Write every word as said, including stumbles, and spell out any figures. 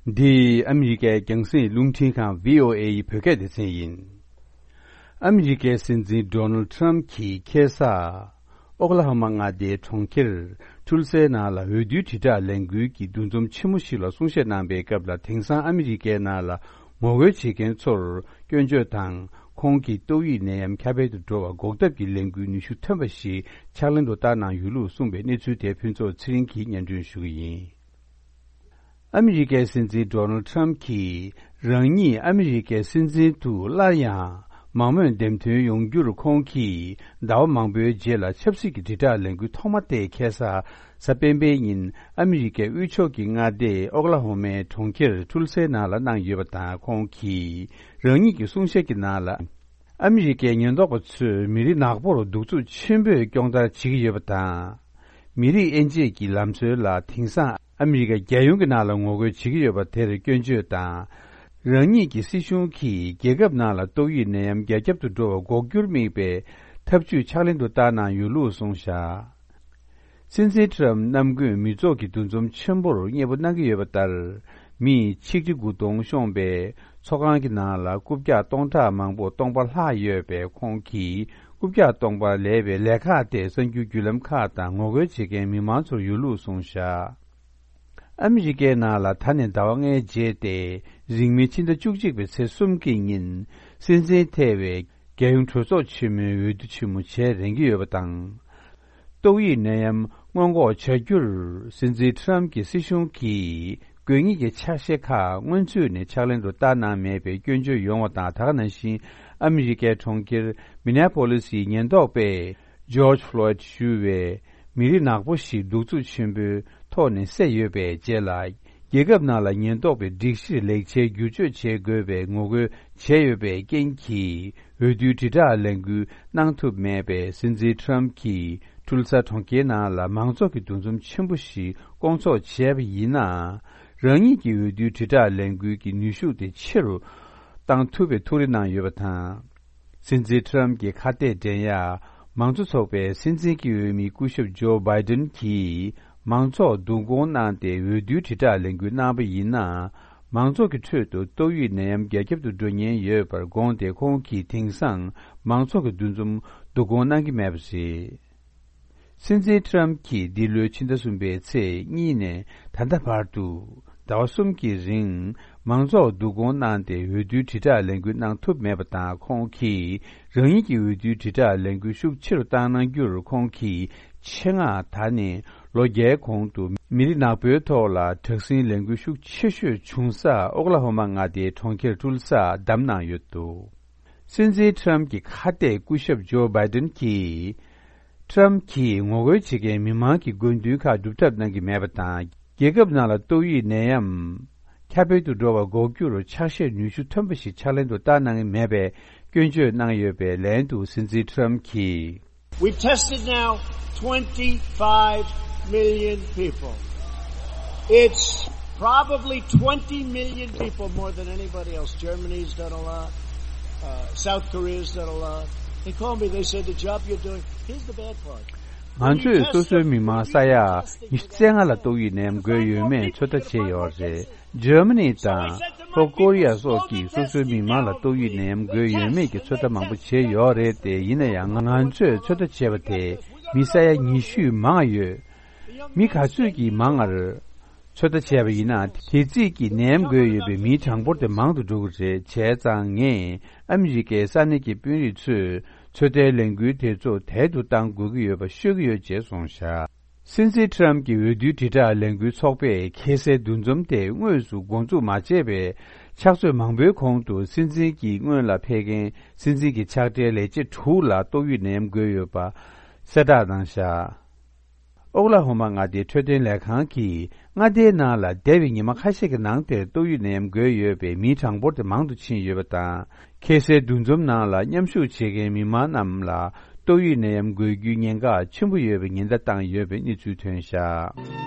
འདི་ཨ་མི་རི་ཀའི་རྒྱང་སྲིང་རླུང་འཕྲིན་ཁང་བྷི་ཨོ་ཨེ་ཡི་བོད་སྐད་སྡེ་ཚན་ཡིན། ཨ་མི་རི་ཀའི་སྲིད་འཛིན་ཌོ་ནལ་ཊམ་གྱིས་ཁ་སང་ཨོ་ཀ་ལ་ཧོ་མ་མངའ་སྡེའི་གྲོང་ཁྱེར་ཊུལ་སའི་ནང་ལ་འོས་བསྡུའི་དྲིལ་བསྒྲགས་ལས་འགུལ་གྱི་འདུ་འཛོམས་ཆེན་མོ་ཞིག་ལ་གསུང་བཤད་གནང་པའི་སྐབས་ལ། དེང་སང་ཨ་མི་རི་ཀའི་ནང་ལ་ངོ་རྒོལ་བྱེད་མཁན་ཚོར་སྐྱོན་བརྗོད་དང་ཁོང་གིས་ཏོག་དབྱིབས་ནད་ཡམས་ཁྱབ་སྤེལ་དུ་འགྲོ་བ་འགོག་ཐབས་ཀྱི་ལས་འགུལ་ནུས་ཤུགས་ཐོན་པ་ཞིག་ཕྱག་ལེན་དུ་བསྟར་གནང་ཡོད་ལུགས་གསུངས་པའི་གནས་ཚུལ་དེ་ཕུན་ཚོགས་ཚེ་རིང་གིས་སྙན་སྒྲོན་ཞུ་གི་ཡིན། ཨ་མི་རི་ཀའི་སྲིད་འཛིན་ཌོ་ནལ་ཊམ་གྱིས་རང་ཉིད་ཨ་མི་རི་ཀའི་སྲིད་འཛིན་དུ་སླར་ཡང་མང་མོས་འདེམས་ཐོན་ཡོང་རྒྱུར་ཁོང་གིས་ཟླ་བ་མང་པོའི་རྗེས་ལ་ཆབ་སྲིད་ཀྱི་དྲིལ་བསྒྲགས་ལས་འགུལ་ཐོག་མ་དེ་ཁ་སང་གཟའ་སྤེན་པའི་ཉིན་ཨ་མི་རི་ཀའི་དབུས་ཕྱོགས་ཀྱི་མངའ་སྡེ་ཨོ་ཀ་ལ་ཧོ་མའི་གྲོང་ཁྱེར་ཊུལ་སའི་ནང་ལ་གནང་ཡོད་པ་དང་། ཁོང་གིས་རང་ཉིད་ཀྱི་གསུང་བཤད་ཀྱི་ནང་ལ། ཨ་མི་རི་ཀའི་ཉེན་རྟོག་པ་ཚོས་མི་རིགས་ནག་པོར་གདུག་རྩུབ་ཆེན་པོས་སྐྱོང་བརྡར་བྱེད་ཀྱི་ཡོད་པ་དང་། མི་རིགས་དབྱེ་འབྱེད་ཀྱི་ལམ་སྲོལ་ལ་དེང་སང་ཨ་མི་རི་ཀ་རྒྱལ་ཡོངས་ཀྱི་ནང་ལ་ངོ་རྒོལ་བྱེད་ཀྱི་ཡོད་པ་དེར་སྐྱོན་བརྗོད་དང་། རང་ཉིད་ཀྱི་སྲིད་གཞུང་གིས་རྒྱལ་ཁབ་ནང་ལ་ཏོག་དབྱིབས་ནད་ཡམས་རྒྱ་ཁྱབ་ཏུ་འགྲོ་བ་འགོག་རྒྱུར་དམིགས་པའི་ཐབས་ཇུས་ཕྱག་ལེན་དུ་བསྟར་གནང་ཡོད་ལུགས་གསུངས་བཞག་སྲིད་འཛིན་ཊམ་གནམ་དགུན་མི་ཚོགས་ཀྱི་འདུ་འཛོམས་ཆེན་པོར་མཉེས་པོ་གནང་གི་ཡོད་པ་ལྟར། མིས་ཆིག་ཁྲི་དགུ་སྟོང་ཤོང་པའི་ཚོགས་ཁང་གི་ནང་ལ་རྐུབ་བཀྱག་སྟོང་ཕྲག་མང་པོ་སྟོང་པ་ལྷག་ཡོད་པས། ཁོང་གིས་རྐུབ་བཀྱག་སྟོང་པ་ལས་པའི་ལས་ཁག་དེ་གསར་འགྱུར་བརྒྱུད་ལམ་ཁག་དང་ངོ་རྒོལ་བྱེད་མཁན་མི་མང་ཚོར་ཡོད་ལུགས་གསུངས་བཞག་ཨ་མི་རི་ཀའི་ནང་ལ་ད་ནས་ཟླ་བ་ལྔའི་རྗེས་ཏེ། རིང་མིན་ཕྱི་ཟླ་བཅུ་གཅིག་པའི་ཚེས་གསུམ་གྱི་ཉིན་སྲིད་འཛིན་ཐེ་བའི་རྒྱལ་ཡོངས་གྲོས་ཚོགས་ཆེན་མོའི་འོས་བསྡུ་ཆེན་མོ་བྱེད་རན་གྱི་ཡོད་པ་དང་། ཏོག་དབྱིབས་ནད་ཡམས་སྔོན་འགོག་བྱ་རྒྱུར་སྲིད་འཛིན་ཊམ་གྱི་སྲིད་གཞུང་གིས་དགོས་ངེས་ཀྱི་ཕྱག་བཞེས་ཁག་སྔོན་ཚུད་ནས་ཕྱག་ལེན་དུ་བསྟར་གནང་མེད་པའི་སྐྱོན་བརྗོད་ཡོང་བ་དང་། ད་ག་ནང་བཞིན་ཨ་མི་རི་ཀའི་གྲོང་ཁྱེར་མི་ནེ་པོ་ལིས་ཡི་ཉེན་རྟོག་པས་ཇོརྗ་ཕློའིད་ཞུ་བའི་མི་རིགས་ནག་པོ་ཞིག་གདུག་རྩུབ་ཆེན་པོའི་ཐོག་ནས་བསད་ཡོད་པའི་རྗེས་ལ། རྒྱལ་ཁབ་ནང་ལ་ཉེན་རྟོག་པའི་སྒྲིག་གཞིར་ལེགས་ཆའི་བསྒྱུར་བཅོས་བྱེད་དགོས་པའི་ངོ་རྒོལ་བྱས་ཡོད་པའི་རྐྱེན་གྱིས། འོས་བསྡུའི་དྲིལ་བསྒྲགས་ལས་འགུལ་གནང་ཐུབ་མེད་པས། སྲིད་འཛིན་ཊམ་གྱིས་ཊུལ་ས་གྲོང་ཁྱེར་ནང་ལ་མང་ཚོགས་ཀྱི་འདུ་འཛོམས་ཆེན་པོ་ཞིག་སྐོང་ཚོགས་བྱས་པ་ཡིན་ནའང་། རང་ཉིད་ཀྱི་འོས་བསྡུའི་དྲིལ་བསྒྲགས་ལས་འགུལ་གྱི་ནུས་ཤུགས་དེ་ཆེ་རུ་བཏང་ཐུབ་པའི་ཐུགས་རེ་གནང་ཡོད་པ་དང་། སྲིད་འཛིན་ཊམ་གྱི་ཁ་གཏད་འགྲན་ཡ། མང་གཙོ་ཚོགས་པའི་སྲིད་འཛིན་གྱི་འོས་མི་སྐུ་ཞབས་ཇོ་བྷའི་ཏིན་གྱིས་མང་ཚོགས་བསྡུ་སྐོང་གནང་སྟེ་འོས་བསྡུའི་དྲིལ་བསྒྲགས་ལས་འགུལ་གནང་པ་ཡིན་ན། མང་ཚོགས་ཀྱི་ཁྲོད་དུ་ཏོག་དབྱིབས་ནད་ཡམས་རྒྱ་ཁྱབ་ཏུ་འགྲོ་ཉེན་ཡོད་པར་དགོངས་ཏེ། ཁོང་གིས་དེང་སང་མང་ཚོགས་ཀྱི་འདུ་འཛོམས་བསྡུ་སྐོང་གནང་གི་མེད་པ་རེད། སྲིད་འཛིན་ཊམ་གྱིས་འདི་ལོའི་ཕྱི་ཟླ་གསུམ་པའི་ཚེས་གཉིས་ནས་ད་ལྟ་བར་དུ་ཟླ་བ་གསུམ་གྱི་རིང་མང་ཚོགས་བསྡུ་སྐོང་གནང་སྟེ་འོས་བསྡུའི་དྲིལ་བསྒྲགས་ལས་འགུལ་གནང་ཐུབ་མེད་པ་དང་། ཁོང་གིས་རང་ཉིད་ཀྱི་འོས་བསྡུའི་དྲིལ་བསྒྲགས་ལས་འགུལ་ཤུགས་ཆེ་རུ་བཏང་གནང་རྒྱུར། ཁོང་གིས་ཆེད་མངགས་ད་ནས་ལོ་བརྒྱའི་གོང་དུ་མི་རིགས་ནག་པོའི་ཐོག་ལ་དྲག་ཟིང་ལས་འགུལ་ཤུགས་ཆེ་ཤོས་བྱུང་ས་ཨོ་ཀ་ལ་ཧོ་མ་མངའ་སྡེའི་གྲོང་ཁྱེར་ཊུལ་ས་བདམས་གནང་ཡོད་འདུག་སྲིད་འཛིན་ཊམ་གྱི་ཁ་གཏད་སྐུ་ཞབས་ཇོ་བྷའི་ཏིན་གྱིས། ཊམ་གྱིས་ངོ་རྒོལ་བྱེད་མཁན་མི་མང་གི་དགོས་འདུན་ཁག་སྒྲུབ་ཐབས་གནང་གི་མེད་པ་དང་། རྒྱལ་ཁབ་ནང་ལ་ཏོག་དབྱིབས་ནད་ཡམས་ཁྱབ་སྤེལ་དུ་འགྲོ་བ་འགོག་རྒྱུར་ཕྱག་བཞེས་ནུས་ཤུགས་ཐོན་པ་ཞིག་ཕྱག་ལེན་དུ་བསྟར་གནང་གི་མེད་པའི་སྐྱོན་བརྗོད་གནང་ཡོད་པའི་ལན་དུ། སྲིད་འཛིན་ཊམ་གྱིས། We've tested now twenty-five million people. It's probably twenty million people more than anybody else. Germany's done a lot. Uh, South Korea's done a lot. They called me, they said, "The job you're doing," here's the bad part. ང་ཚོས་སོ་སོའི་མི་མང་ས་ཡ་ཉི་ཤུ་རྩ་ལྔ་ལ་ཏོག་དབྱིབས་ནད་ཡམས་འགོས་ཡོད་མེད་ཚོད་ལྟ་བྱས་ཡོད་རེད། འཇར་མ་ནི་དང་ལྷོ་ཀོ་རི་ཡ་སོགས་ཀྱིས་སོ་སོའི་མི་མང་ལ་ཏོག་དབྱིབས་ནད་ཡམས་འགོས་ཡོད་མེད་ཀྱི་ཚོད་ལྟ་མང་པོ་བྱས་ཡོད་རེད་དེ། ཡིན་ན་ཡང་ང་ཚོས་ཚོད་ལྟ་བྱས་པ་དེ་མི་ས་ཡ་ཉི་ཤུས་མང་ཡོད། མི་ག་ཚོད་ཀྱིས་མང་ང་རེད། ཚོད་ལྟ་བྱས་པ་ཡིན་ན། དེ་རྩིས་ཀྱིས་ནད་ཡམས་འགོས་ཡོད་པའི་མིའི་གྲངས་འབོར་དེ་མང་དུ་འགྲོ་གི་རེད། བྱས་ཙང་ངས་ཨ་མི་རི་ཀའི་ས་གནས་ཀྱི་དཔོན་རིགས་ཚོས་ཚོད་ལྟའི་ལས་འགུལ་དེ་ཚོ་དལ་དུ་གཏང་དགོས་ཀྱི་ཡོད་པ་ཤོད་ཀྱི་ཡོད་ཅེས་གསུངས་བཞག་སྲིད་འཛིན་ཊམ་གྱི་འོས་བསྡུའི་དྲིལ་བསྒྲགས་ལས་འགུལ་ཚོགས་པས་ཁ་སའི་འདུ་འཛོམས་དེ་དངོས་སུ་འགོ་འཛུགས་མ་བྱས་པའི་ཕྱག་ཚོད་མང་པོའི་གོང་དུ། སྲིད་འཛིན་གྱི་སྔོན་ལ་ཕེབས་མཁན་སྲིད་འཛིན་གྱི་ཕྱག་སྦྲེལ་ལས་བྱེད་དྲུག་ལ་ཏོག་དབྱིབས་ནད་ཡམས་འགོས་ཡོད་པ་གསལ་བསྒྲགས་གནང་བཞག་ཨོ་ཀ་ལ་ཧོ་མ་མངའ་སྡེའི་འཕྲོད་བསྟེན་ལས་ཁང་གིས་མངའ་སྡེའི་ནང་ལ་འདས་པའི་ཉི་མ་ཁ་ཤས་ཀྱི་ནང་དེར་ཏོག་དབྱིབས་ནད་ཡམས་འགོས་ཡོད་པའི་མིའི་གྲངས་འབོར་དེ་མང་དུ་ཕྱིན་ཡོད་པ་དང་། ཁ་སའི་འདུ་འཛོམས་ནང་ལ་མཉམ་ཞུགས་བྱེད་མཁན་མི་མང་རྣམས་ལ་ཏོག་དབྱིབས་ནད་ཡམས་འགོས་རྒྱུའི་ཉེན་ཁ་ཆེན་པོ་ཡོད་པའི་ཉེན་བརྡ་བཏང་ཡོད་པའི་གནས་ཚུལ་ཐོན་བཞག